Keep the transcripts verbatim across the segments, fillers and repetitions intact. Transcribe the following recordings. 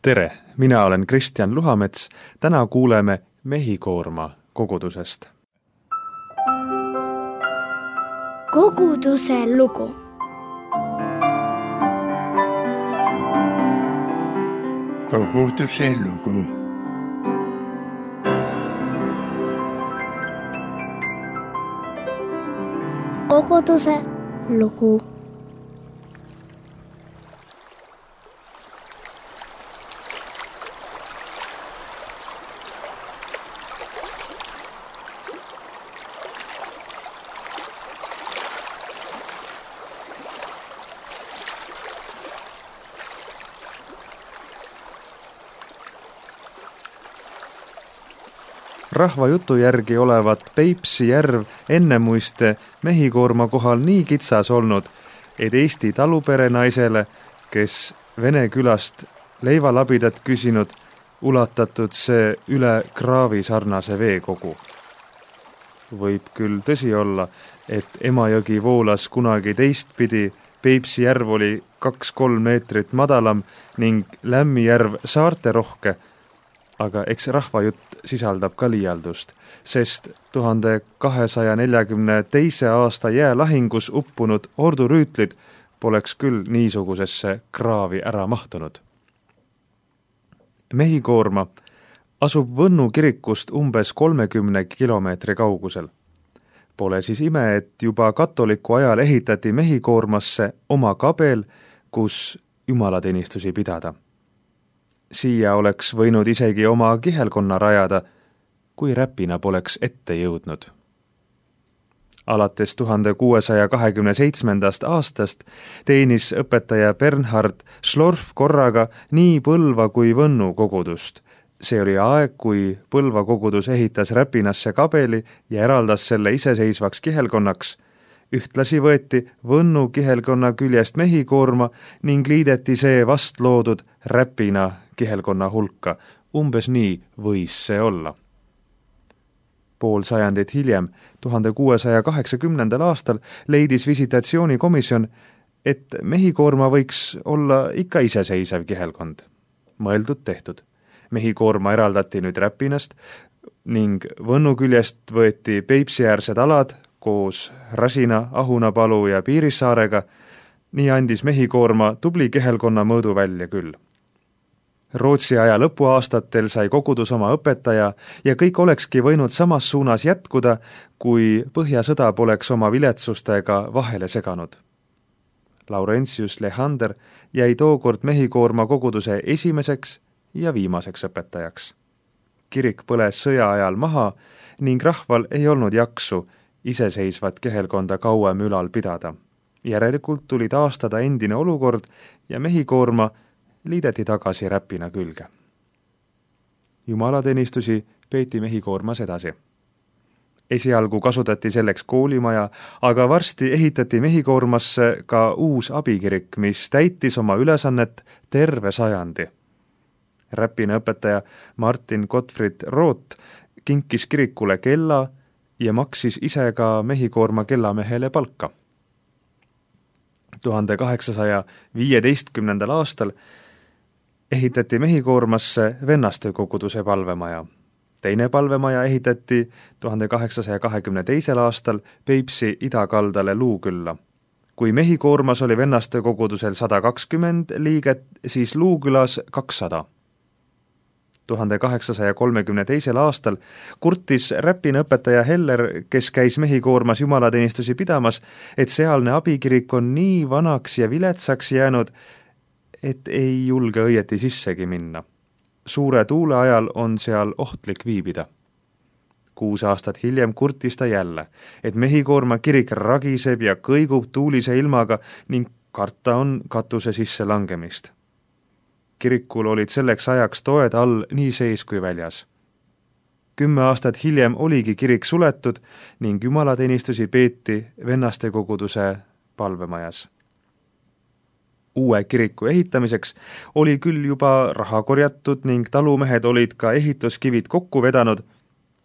Tere, mina olen Kristjan Luhamets. Täna kuuleme Mehikoorma kogudusest. Koguduse lugu. Koguduse lugu. Koguduse lugu. Rahva jutu järgi olevat Peipsi järv ennemuiste Mehikoorma kohal nii kitsas olnud, et Eesti taluperenaisele, kes Vene külast leivalabidat küsinud, ulatatud see üle kraavi sarnase veekogu. Võib küll tõsi olla, et Emajõgi voolas kunagi teistpidi, Peipsi järv oli kaks-kolm meetrit madalam ning Lämmijärv saarte rohke, aga eks rahvajutt sisaldab ka liialdust, sest tuhande kahesaja neljakümne teise aasta jäälahingus uppunud ordurüütlid poleks küll niisugusesse kraavi ära mahtunud. Mehikoorma asub Võnnu kirikust umbes kolmekümne kilomeetri kaugusel. Pole siis ime, et juba katoliku ajal ehitati Mehikoormasse oma kabel, kus jumalateenistusi pidada. Siia oleks võinud isegi oma kihelkonna rajada, kui Räpina poleks ette jõudnud. Alates tuhande kuuesaja kahekümne seitsmendast aastast teenis õpetaja Bernhard Schlorf korraga nii Põlva kui Võnnu kogudust. See oli aeg, kui Põlva kogudus ehitas Räpinasse kabeli ja eraldas selle iseseisvaks kihelkonnaks. Ühtlasi võeti Võnnu kihelkonna küljest Mehikoorma ning liideti see vast loodud Räpina kihelkonna hulka. Umbes nii võis see olla. Pool sajandit hiljem, tuhande kuuesaja kaheksakümnendal aastal, leidis visitatsioonikomisjon, et Mehikoorma võiks olla ikka iseseisev kihelkond. Mõeldud tehtud. Mehikoorma eraldati nüüd Räpinast ning Võnnu küljest võeti Peipsiäärsed alad koos Rasina, Ahunapalu ja Piirissaarega, nii andis Mehikoorma tubli kihelkonna mõõdu välja küll. Rootsi aja lõpuaastatel sai kogudus oma õpetaja ja kõik olekski võinud samas suunas jätkuda, kui Põhjasõda poleks oma viletsustega vahele seganud. Laurentius Lehander jäi tookord Mehikoorma koguduse esimeseks ja viimaseks õpetajaks. Kirik põles sõja ajal maha ning rahval ei olnud jaksu iseseisvat kihelkonda kauem ülal pidada. Järelikult tuli taastada endine olukord ja Mehikoorma liideti tagasi Räpina külge. Jumalateenistusi peeti Mehikoormas edasi. Esialgu kasutati selleks koolimaja, aga varsti ehitati Mehikoormasse ka uus abikirik, mis täitis oma ülesannet terve sajandi. Räpina õpetaja Martin Gottfried Roth kinkis kirikule kella ja maksis ise ka Mehikoorma kellamehele palka. tuhande kaheksasaja viieteistkümnendal aastal ehitati Mehikoormasse Vennaste koguduse palvemaja. Teine palvemaja ehitati tuhande kaheksasaja kahekümne teisel aastal Peipsi idakaldale Luukülla. Kui Mehikoormas oli Vennaste kogudusel sada kakskümmend liiget, siis Luukülas kakssada. tuhande kaheksasaja kolmekümne teisel aastal kurtis Räpina õpetaja Heller, kes käis Mehikoormas jumalateenistusi pidamas, et sealne abikirik on nii vanaks ja viletsaks jäänud, et ei julge õieti sissegi minna. Suure tuule ajal on seal ohtlik viibida. Kuus aastat hiljem kurtis ta jälle, et Mehikoorma kirik ragiseb ja kõigub tuulise ilmaga ning karta on katuse sisse langemist. Kirikul olid selleks ajaks toed all nii sees kui väljas. Kümme aastat hiljem oligi kirik suletud ning jumalateenistusi peeti Vennaste koguduse palvemajas. Uue kiriku ehitamiseks oli küll juba raha korjatud ning talumehed olid ka ehituskivid kokku vedanud,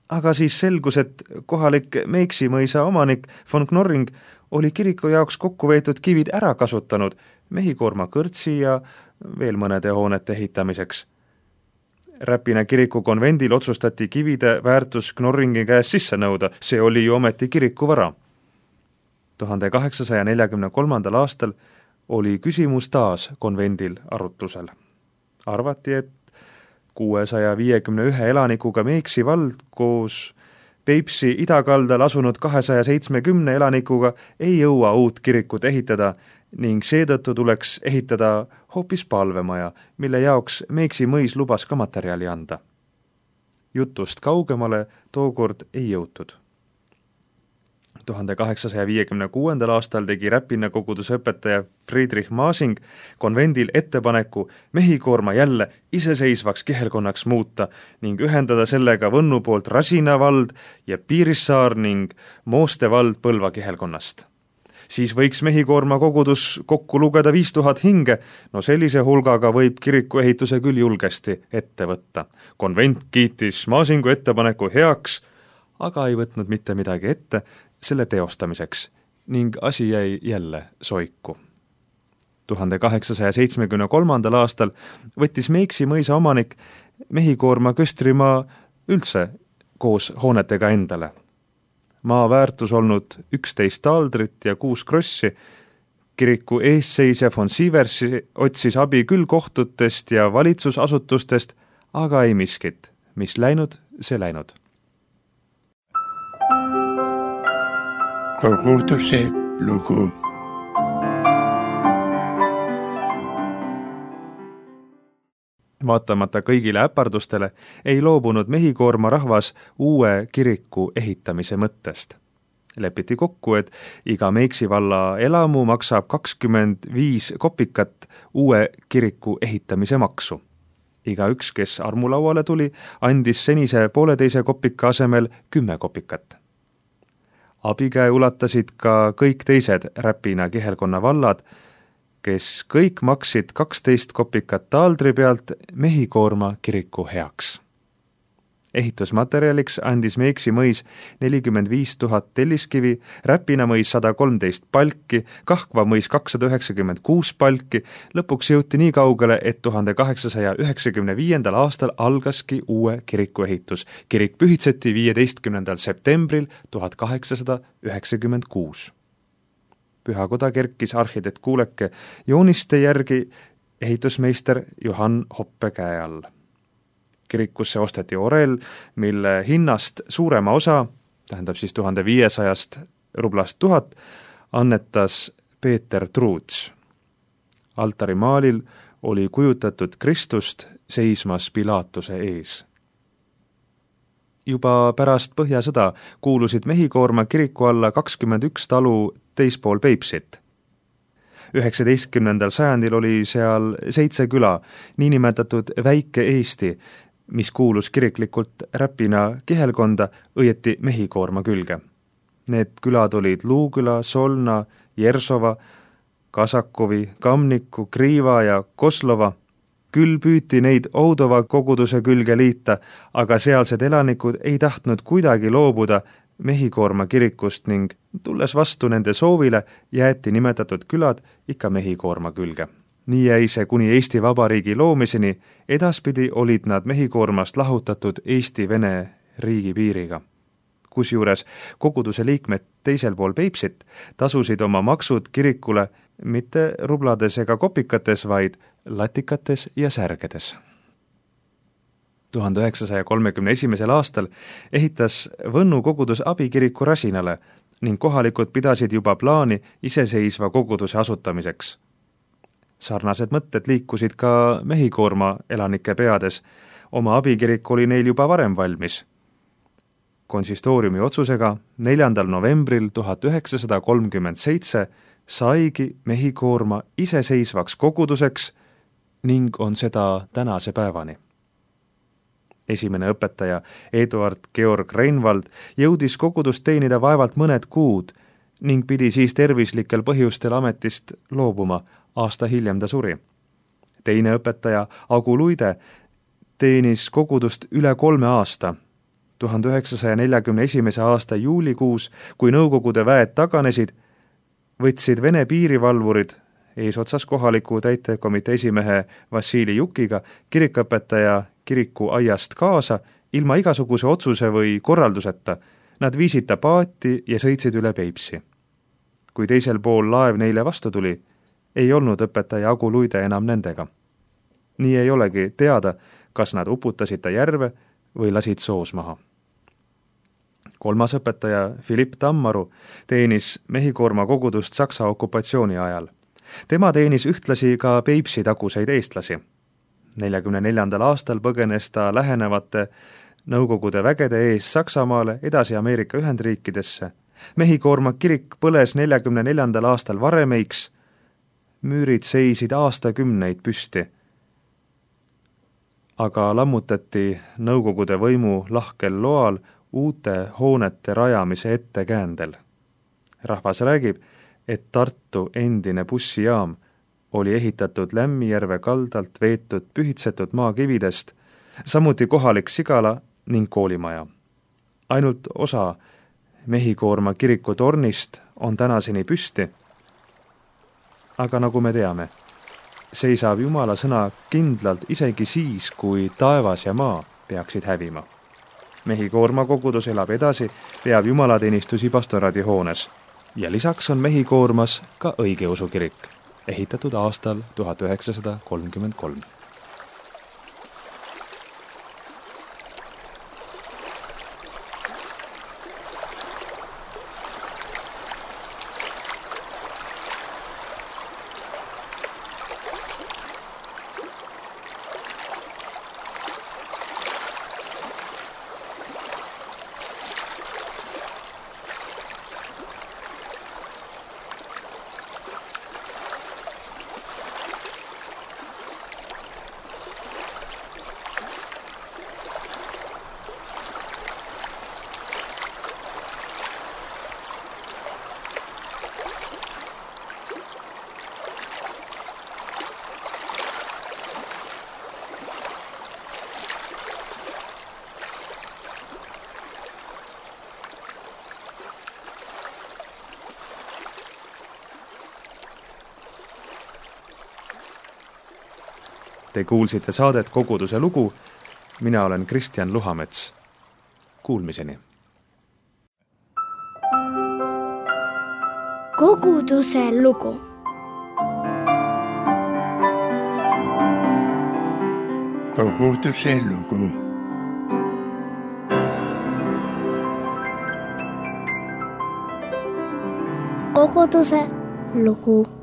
aga siis selgus, et kohalik Meiksi mõisa omanik von Knorring oli kiriku jaoks kokku veetud kivid ära kasutanud Mehikoorma kõrtsi ja veel mõnede hoonete ehitamiseks. Räpina kiriku konvendil otsustati kivide väärtus Knorringi käest sisse nõuda, see oli ju ometi kiriku vara. tuhande kaheksasaja neljakümne kolmandal aastal oli küsimus taas konvendil arutlusel. Arvati, et kuuesaja viiekümne ühe elanikuga Meeksi vald koos Peipsi idakaldal asunud kahesaja seitsmekümne elanikuga ei jõua uut kirikut ehitada ning seetõttu tuleks ehitada hoopis palvemaja, mille jaoks Meeksi mõis lubas ka materjali anda. Jutust kaugemale tookord ei jõutud. tuhande kaheksasaja viiekümne kuuendal aastal tegi Räpina koguduse õpetaja Friedrich Maasing konvendil ettepaneku Mehhikoorma jälle iseseisvaks kihelkonnaks muuta ning ühendada sellega Võnnu poolt Rasina vald ja Piirissaar ning Mooste vald Põlva kihelkonnast. Siis võiks Mehhikoorma kogudus kokku lugeda viis tuhat hinge, no sellise hulgaga võib kiriku ehituse küll julgesti ette võtta. Konvent kiitis Maasingu ettepaneku heaks, aga ei võtnud mitte midagi ette selle teostamiseks ning asi jäi jälle soiku. tuhande kaheksasaja seitsmekümne kolmandal aastal võttis Meeksi mõisa omanik Mehhikoorma köstrimaa üldse koos hoonetega endale. Maa väärtus olnud üksteist taaldrit ja kuus krossi. Kiriku eesseisja von Sieversi otsis abi küll kohtutest ja valitsusasutustest, aga ei miskit, mis läinud, see läinud. Koguduse lugu. Vaatamata kõigile äpardustele ei loobunud Mehhikoorma rahvas uue kiriku ehitamise mõttest. Lepiti kokku, et iga Meeksi valla elamu maksab kakskümmend viis kopikat uue kiriku ehitamise maksu. Iga üks, kes armulauale tuli, andis senise pooleteise kopika asemel kümme kopikat. Abikäe ulatasid ka kõik teised Räpina kihelkonna vallad, kes kõik maksid kaksteist kopikat taaldri pealt Mehhikoorma kiriku heaks. Ehitusmaterjaliks andis Meeksi mõis nelikümmend viis tuhat telliskivi, Räpina mõis sada kolmteist palki, Kahkva mõis kakssada üheksakümmend kuus palki, lõpuks jõuti nii kaugele, et tuhande kaheksasaja üheksakümne viiendal aastal algaski uue kiriku ehitus. Kirik pühitseti viieteistkümnendal septembril tuhat kaheksasada üheksakümmend kuus. Pühakoda kerkis arhitekt Kuuleke jooniste järgi ehitusmeister Johann Hoppe käe all. Kirikusse osteti orel, mille hinnast suurema osa, tähendab siis tuhande viiesajast rublast tuhat, annetas Peeter Truuts. Altarimaalil oli kujutatud Kristust seismas Pilaatuse ees. Juba pärast Põhjasõda kuulusid Mehhikoorma kiriku alla kakskümmend üks talu teispool Peipsit. üheksateistkümnendal sajandil oli seal seitse küla, niinimetatud Väike Eesti, mis kuulus kiriklikult Räpina kihelkonda, õieti Mehhikoorma külge. Need külad olid Luuküla, Solna, Jersova, Kasakovi, Kamniku, Kriiva ja Koslova. Küll püüti neid Oudova koguduse külge liita, aga sealsed elanikud ei tahtnud kuidagi loobuda Mehhikoorma kirikust ning tulles vastu nende soovile, jäeti nimetatud külad ikka Mehhikoorma külge. Nii jäi see kuni Eesti Vabariigi loomiseni, edaspidi olid nad Mehhikoormast lahutatud Eesti-Vene riigipiiriga. Kusjuures koguduse liikmed teisel pool Peipsit tasusid oma maksud kirikule mitte rublades ega kopikates, vaid latikates ja särgedes. tuhande üheksasaja kolmekümne esimesel aastal ehitas Võnnu kogudus abikiriku Rasinale ning kohalikud pidasid juba plaani iseseisva koguduse asutamiseks. Sarnased mõtted liikusid ka Mehhikoorma elanike peades. Oma abikirik oli neil juba varem valmis. Konsistooriumi otsusega neljandal novembril tuhat üheksasada kolmkümmend seitse saigi Mehhikoorma iseseisvaks koguduseks ning on seda tänase päevani. Esimene õpetaja Eduard Georg Reinvald jõudis kogudust teenida vaevalt mõned kuud ning pidi siis tervislikel põhjustel ametist loobuma. Aasta hiljem ta suri. Teine õpetaja Agu Luide teenis kogudust üle kolme aasta. tuhande üheksasaja neljakümne esimese aasta juulikuus, kui Nõukogude väed taganesid, võtsid Vene piirivalvurid eesotsas kohaliku täitekomitee esimehe Vassili Jukiga kirikuõpetaja kiriku aiast kaasa ilma igasuguse otsuse või korralduseta. Nad viisid ta paati ja sõitsid üle Peipsi. Kui teisel pool laev neile vastu tuli, ei olnud õpetaja Agu Luide enam nendega. Nii ei olegi teada, kas nad uputasid ta järve või lasid soos maha. Kolmas õpetaja Philipp Tammaru teenis Mehhikoorma kogudust Saksa okupatsiooni ajal. Tema teenis ühtlasi ka Peipsi taguseid eestlasi. neljakümne neljandal aastal põgenes ta lähenevate Nõukogude vägede ees Saksamaale edasi Ameerika Ühendriikidesse. Mehhikoorma kirik põles neljakümne neljandal aastal varemeiks, müürid seisid aastakümneid püsti. Aga lammutati Nõukogude võimu lahkel loal uute hoonete rajamise ettekäändel. Rahvas räägib, et Tartu endine bussijaam oli ehitatud Lämmijärve kaldalt veetud pühitsetud maakividest, samuti kohalik sigala ning koolimaja. Ainult osa Mehhikoorma kiriku tornist on tänaseni püsti, aga nagu me teame, seisab Jumala sõna kindlalt isegi siis, kui taevas ja maa peaksid hävima. Mehhikoorma kogudus elab edasi, peab jumalateenistusi pastoraadihoones ja lisaks on Mehhikoormas ka õigeusu kirik, ehitatud aastal tuhat üheksasada kolmkümmend kolm. Te kuulsite saadet Koguduse lugu. Mina olen Kristjan Luhamets. Kuulmiseni. Koguduse lugu. Koguduse lugu. Koguduse lugu.